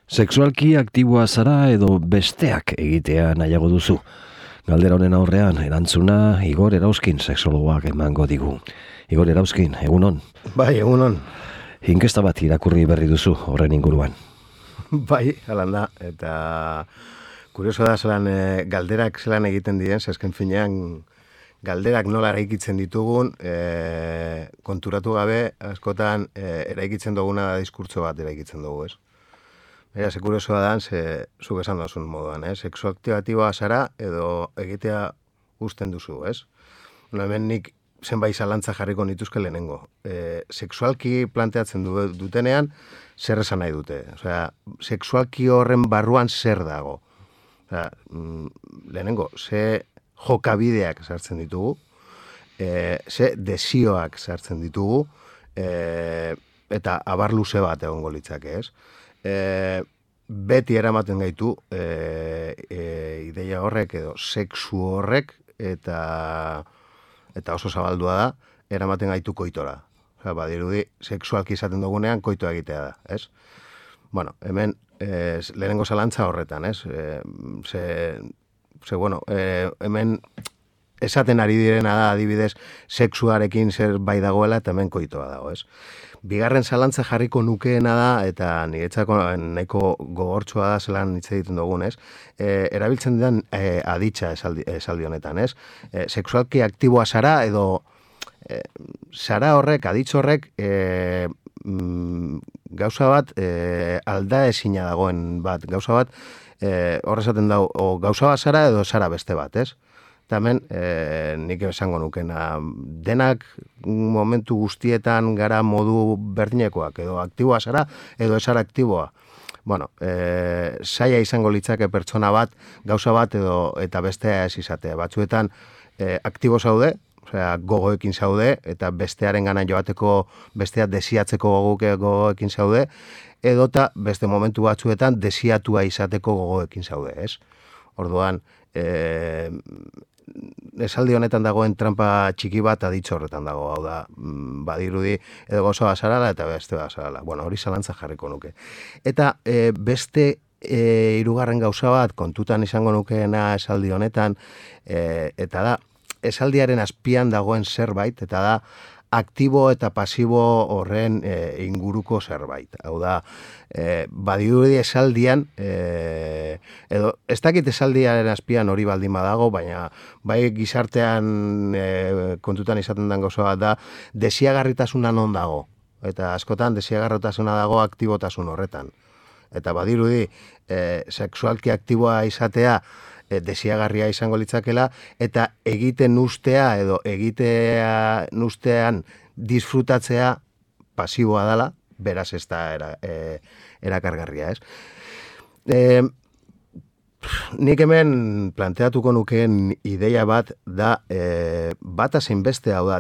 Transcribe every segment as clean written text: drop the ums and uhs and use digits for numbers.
Sexualki aktiboa zara edo besteak egitea nahiago duzu? Galdera honen aurrean, erantzuna Igor Erauzkin sexologoak emango digu. Igor Erauzkin, egunon. Bai, egunon. Inkesta bat irakurri berri duzu horren inguruan. Bai, halan da. Eta kurioso da zelan galderak zelan egiten diren, zesken finean galderak nola eraikitzen ditugun, konturatu gabe, askotan eraikitzen duguna diskurtso bat eraikitzen dugu, ez? Eta ze kuriosoa da, zuk esan duzun moduan, sexuaktibatiboa zara edo egitea usten duzu, ez? Hemen nik zenbait zalantza jarriko nituzke lehenengo. Sexualki planteatzen dutenean, zer esan nahi dute. Osea, sexualki horren barruan zer dago. Osea, lehenengo, ze jokabideak sartzen ditugu, ze desioak sartzen ditugu, eta abar luze bat egongo litzake, ez? Beti eramaten gaitu ideia horrek edo sexu horrek eta oso zabaldua da, eramaten gaitu koitora. Osea, badirudi, sexualki izaten dugunean koitoa egitea da, ez? Bueno, hemen lehenengo zalantza horretan, ez? Hemen esaten ari direna da, adibidez, sexuarekin zer bai dagoela eta hemen koitoa dago, ez? Bigarren zalantza jarriko nukeena da, eta niretzako nahiko gogortsua da zelan hitz egiten dugun, ez? Erabiltzen den aditza esaldi honetan, ez? Sexualki aktiboa zara edo zara horrek, aditz horrek, gauza bat alda ezina dagoen bat, gauza bat horrezaten dago, o gauza bat zara edo zara beste bat, ez? Eta hemen, nik esango nukena, denak momentu guztietan gara modu berdinekoak, edo aktiboa zara, edo esara aktiboa. Bueno, zaila izango litzake pertsona bat, gauza bat, eta bestea ez izatea. Batzuetan, aktibo zaude, osea, gogoekin zaude, eta bestearen gana joateko, bestea desiatzeko gogoekin zaude, edota beste momentu batzuetan desiatua izateko gogoekin zaude, ez? Orduan, esaldi honetan dagoen trampa txiki bat aditzo horretan dago, hau da, badirudi edo gozo bazarala eta beste bazarala. Bueno, hori zalantza jarriko nuke. Eta beste hirugarren gauza bat kontutan izango nukeena esaldi honetan, eta da, esaldiaren azpian dagoen zerbait, eta da, aktibo eta pasibo horren inguruko zerbait. Hau da, badirudi esaldian, edo ez dakit esaldiaren azpian hori baldin badago, baina bai gizartean kontutan izaten den gauza bat da, desiagarritasuna non dago. Eta askotan desiagarritasuna dago aktibotasun horretan. Eta badirudi, sexualki aktiboa izatea, desiagarria izango litzakela, eta egiten ustea edo egitean ustean disfrutatzea pasiboa dela, beraz ez da erakargarria, ez? Nik hemen planteatuko nukeen ideia bat da, bata zein bestea, hau da,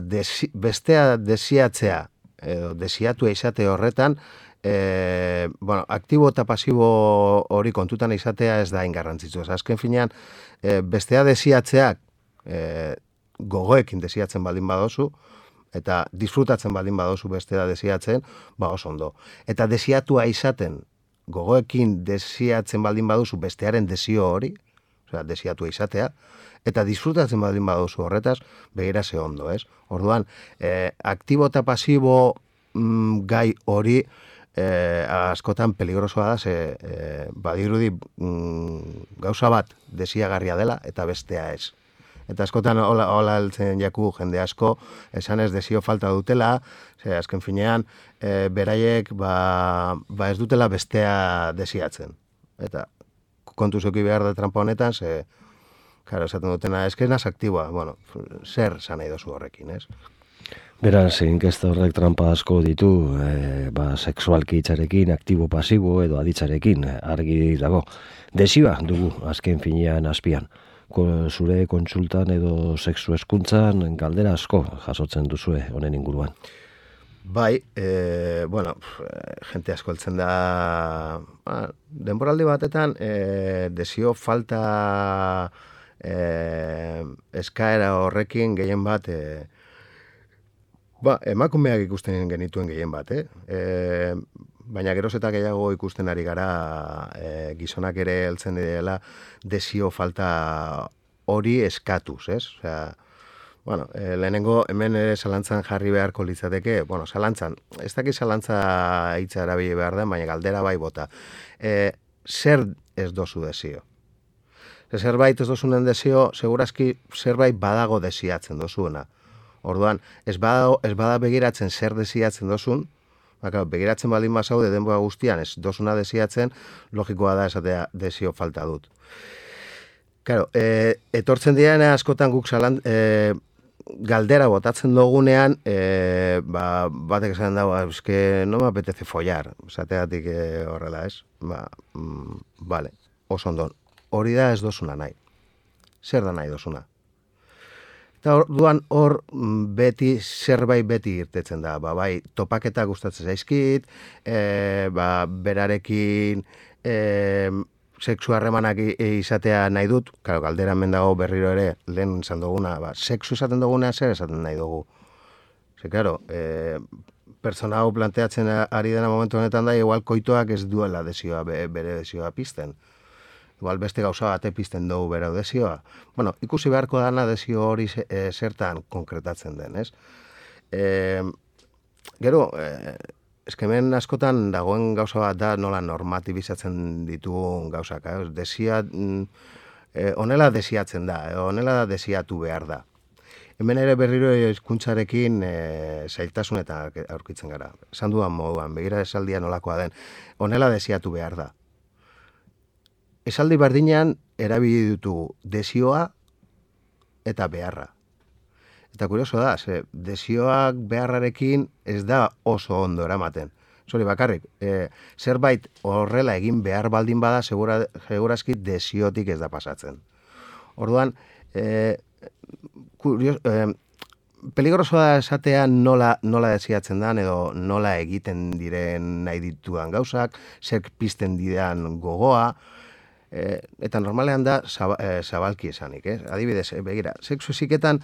bestea desiatzea edo desiatua izate horretan, aktibo eta pasibo hori kontutan izatea ez da ingarrantzitsu. Azken finean, bestea desiatzeak gogoekin desiatzen baldin badozu, eta disfrutatzen baldin badozu bestea desiatzen, oso ondo. Eta desiatua izaten, gogoekin desiatzen baldin baduzu bestearen desio hori, osea, desiatua izatea, eta disfrutatzen baldin baduzu horretaz, begira ze ondo, ez? Orduan, aktibo eta pasibo gai hori, askotan peligrosoa da, badirudi gauza bat desiagarria dela eta bestea ez. Eta askotan hola heltzen jaku jende asko, esan ez desio falta dutela, azken finean, beraiek ez dutela bestea desiatzen. Eta kontu zuki behar da trampa honetan, esaten dutena, eskenaz aktiboa, zer zan nahi dozu horrekin, ez? Beraz, inkesta horrek trampa asko ditu, sexualki hitzarekin, aktibo-pasibo edo aditzarekin, argi dago. Desioa dugu azken finean azpian. Zure kontsultan edo sexu hezkuntzan galdera asko jasotzen duzue honen inguruan. Bai, jente asko heltzen da, denboraldi batetan, desio falta eskaera horrekin gehien bat, emakumeak ikusten genituen gehien bat, baina geroz eta gehiago ikusten ari gara gizonak ere heltzen direla desio falta hori eskatuz, ez? Osea, bueno, lehenengo hemen ere zalantzan jarri beharko litzateke, bueno, zalantzan, ez dakit zalantza hitza erabili behar den, baina galdera bai bota. Zer ez dozu desio? Zerbait ez dozunen desio, segurazki zerbait badago desiatzen dozuena. Orduan, ez bada begiratzen zer desiatzen dozun, begiratzen baldin bazaude denbora guztian ez dozuna desiatzen, logikoa da esatea desio falta dut. Claro, etortzen diren askotan guk galdera botatzen dugunean, batek esan dago, eske no me apetece follar, esateatik horrela, ez? Vale, oso ondon, hori da ez dozuna nahi. Zer da nahi dozuna? Eta orduan hor zerbait beti irtetzen da, bai topaketa gustatzen zaizkit, berarekin sexu harremanak izatea nahi dut, claro, galdera hemen dago berriro ere, lehen izan duguna, sexu esaten duguna zer esaten nahi dugu. Ze, claro, pertsona hau planteatzen ari dena momentu honetan da, igual koitoak ez duela desioa, bere desioa pizten. Igual beste gauza bate pizten dugu bere desioa. Bueno, ikusi beharko dana desio hori zertan konkretatzen den, ez? Gero, eskemen askotan dagoen gauza bat da nola normatibizatzen ditugun gauzak. Honela desiatzen da, honela desiatu behar da. Hemen ere berriro hizkuntzarekin zailtasunetan aurkitzen gara. Esan dudan moduan, begira esaldia nolakoa den, honela desiatu behar da. Esaldi berdinean erabili ditugu desioa eta beharra. Eta kurioso da, desioak beharrarekin ez da oso ondo eramaten. Zori bakarrik, zerbait horrela egin behar baldin bada, segurazki desiotik ez da pasatzen. Orduan, peligrosoa da esatea nola desiatzen dan, edo nola egiten diren nahi ditudan gauzak, zer pizten didan gogoa, eta normalean da zabalki esanik, adibidez, begira, sexu eziketan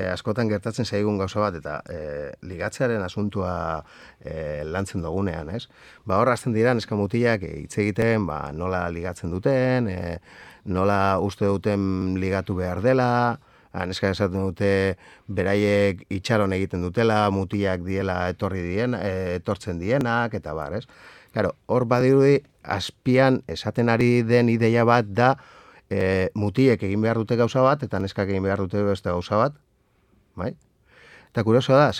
askotan gertatzen zaigun gauza bat, eta ligatzearen asuntua lantzen dugunean, ez? Hor hasten dira neska mutilak hitz egiten, nola ligatzen duten, nola uste duten ligatu behar dela, neska esaten dute beraiek itxaron egiten dutela, mutilak diela etortzen dienak, eta bar, ez? Claro, hor badirudi, azpian esaten ari den ideia bat da mutilek egin behar dute gauza bat, eta neskak egin behar dute beste gauza bat, bai? Eta kurioso da,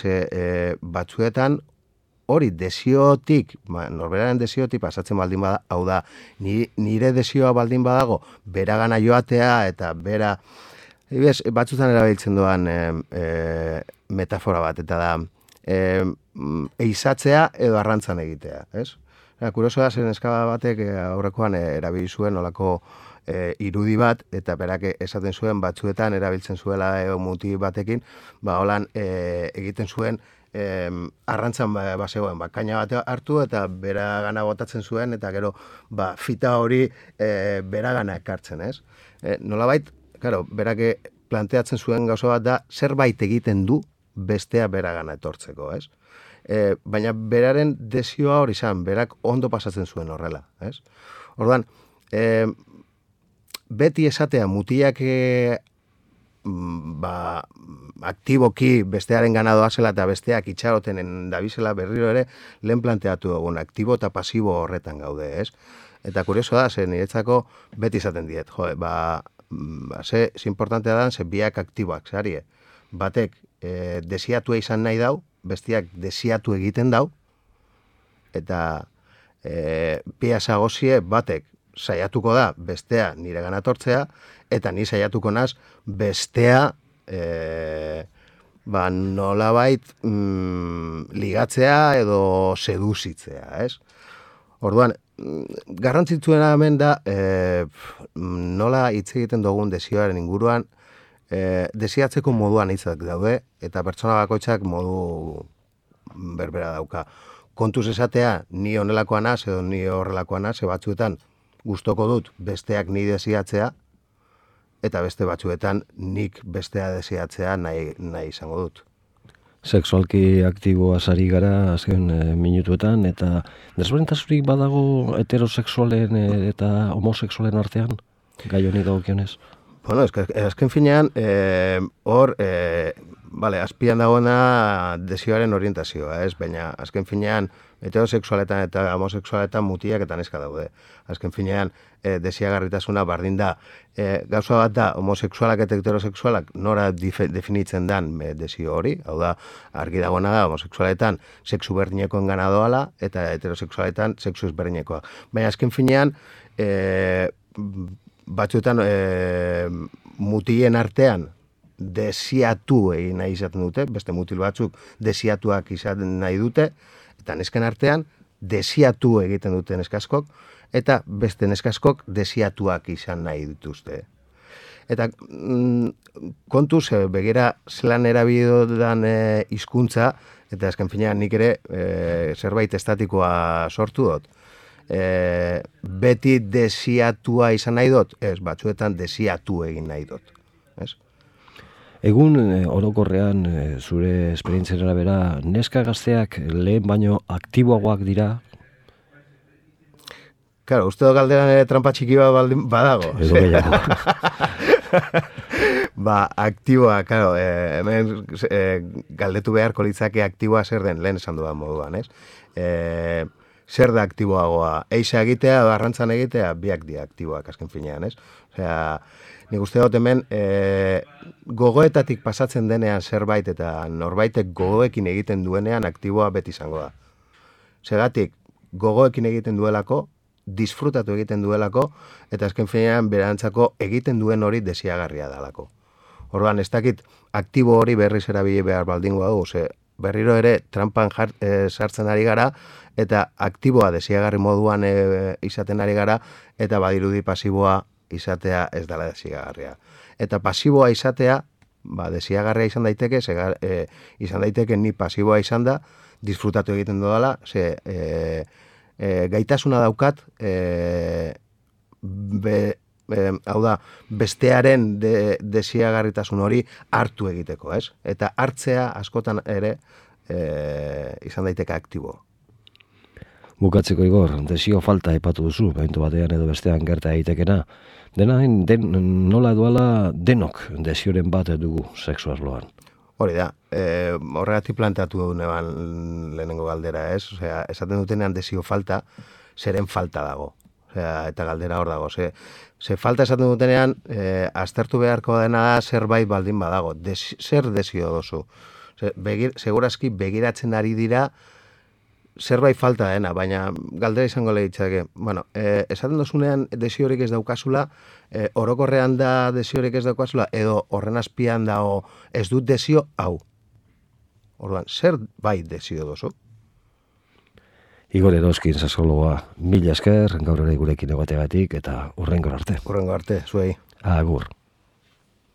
batzuetan hori desiotik, norberaren desiotik pasatzen baldin bada, hau da, nire desioa baldin badago, beragana joatea, eta bera, batzuetan erabiltzen doan metafora bat, eta da, eizatzea edo arrantzan egitea, ez? Kurioso da, zen neska batek aurrekoan erabili zuen olako irudi bat, eta berak esaten zuen batzuetan erabiltzen zuela muti batekin, holan egiten zuen arrantzan bazegoen, kaina bat hartu eta beragana botatzen zuen, eta gero fita hori beragana ekartzen, ez? Nolabait, berak planteatzen zuen gauza bat da, zerbait egiten du bestea beragana etortzeko, ez? Baina beraren desioa hori izan, berak ondo pasatzen zuen horrela, ez? Orduan, beti esatea mutilak aktiboki bestearen gana doazela eta besteak itxarotenen dabizela berriro ere lehen planteatu dugun, aktibo eta pasibo horretan gaude, ez? Eta kurioso da, niretzako beti izaten diet, ze importantea da, biak aktiboak, zarie, batek desiatua izan nahi dau, bestiak desiatu egiten dau, eta pia zagozie batek saiatuko da bestea nire gana tortzea, eta ni saiatuko naz bestea nolabait ligatzea edo seduzitzea, ez? Orduan, garrantzitsuena hemen da nola hitz egiten dugun desioaren inguruan, desiatzeko moduan hitzak daude, eta pertsona bakoitzak modu berbera dauka. Kontuz esatea, ni honelakoa naz, edo ni horrelakoa naz, batzuetan gustoko dut besteak ni desiatzea, eta beste batzuetan nik bestea desiatzea nahi izango dut. Sexualki aktiboa sari gara azken minutuetan, eta desberdintasunik badago heterosexualen eta homosexualen artean, gai honi dagokionez? Bueno, azken finean, hor, azpian dagoena desioaren orientazioa, ez? Baina, azken finean, heterosexualetan eta homosexualetan mutiak eta neska daude. Azken finean, desiagarritasuna bardin da. Gauza bat da, homosexualak eta heterosexualak nora definitzen dan desio hori, hau da, argi dagoena da, homosexualetan sexu berdinekoen gana doala, eta heterosexualetan sexu ezberdinekoa. Baina, azken finean, batzuetan mutien artean desiatu egin nahi izaten dute, beste mutil batzuk desiatuak izaten nahi dute, eta nesken artean desiatu egiten dute neskaskok, eta beste neskaskok desiatuak izan nahi dituzte. Eta kontuz, begira zelan erabidodan hizkuntza, eta azken finean nik ere zerbait estatikoa sortu dut. Beti desiatua izan nahi dut, ez, batzuetan desiatu egin nahi dut. Ez? Egun orokorrean zure esperientziaren arabera, neska gazteak lehen baino aktiboagoak dira? Claro, uste dut galderan trampa txiki bat badago. Edo gehiago. Aktiboa, claro, hemen galdetu beharko litzake aktiboa zer den, lehen esan dudan moduan, ez? Zer da aktiboagoa? Eixa egitea, arrantzan egitea, biak dira aktiboak azken finean, ez? Osea, nik uste dut hemen gogoetatik pasatzen denean zerbait eta norbaitek gogoekin egiten duenean aktiboa beti izango da. Segatik, gogoekin egiten duelako, disfrutatu egiten duelako, eta azken finean berantzako egiten duen hori desiagarria dalako. Orduan, ez dakit aktibo hori berriz erabili behar baldingoa dugu, ze berriro ere trampan sartzen ari gara, eta aktiboa desiagarri moduan izaten ari gara, eta badirudi pasiboa izatea ez dela desiagarria. Eta pasiboa izatea, desiagarria izan daiteke, izan daiteke ni pasiboa izan da, disfrutatu egiten dudala, ze gaitasuna daukat, hau da, bestearen desiagarritasun hori hartu egiteko, ez? Eta hartzea askotan ere izan daiteke aktibo. Bukatzeko Igor, desio falta aipatu duzu, behintu batean edo bestean gerta egitekena. Nola edoala denok desioren bat dugu sexu arloan. Hori da, horregatik planteatu neban lehenengo galdera, ez? Osea, esaten dutenean desio falta, zeren falta dago. Osea, eta galdera hor dago. Ze falta esaten dutenean, aztertu beharko dena da zerbait baldin badago. Zer desio dozu? Segurazki begiratzen ari dira zerbait falta dena, baina galdera izango lehitzake. Bueno, esaten dozunean desiorik ez daukazula, orokorrean da desiorik ez daukazula, edo horren azpian dago ez dut desio hau. Orduan, zer bai desio dozu? Igor Eroskin, sexologoa, mila esker, gaur ere gurekin egoteagatik, eta hurrengo arte. Hurrengo arte, zuei. Agur.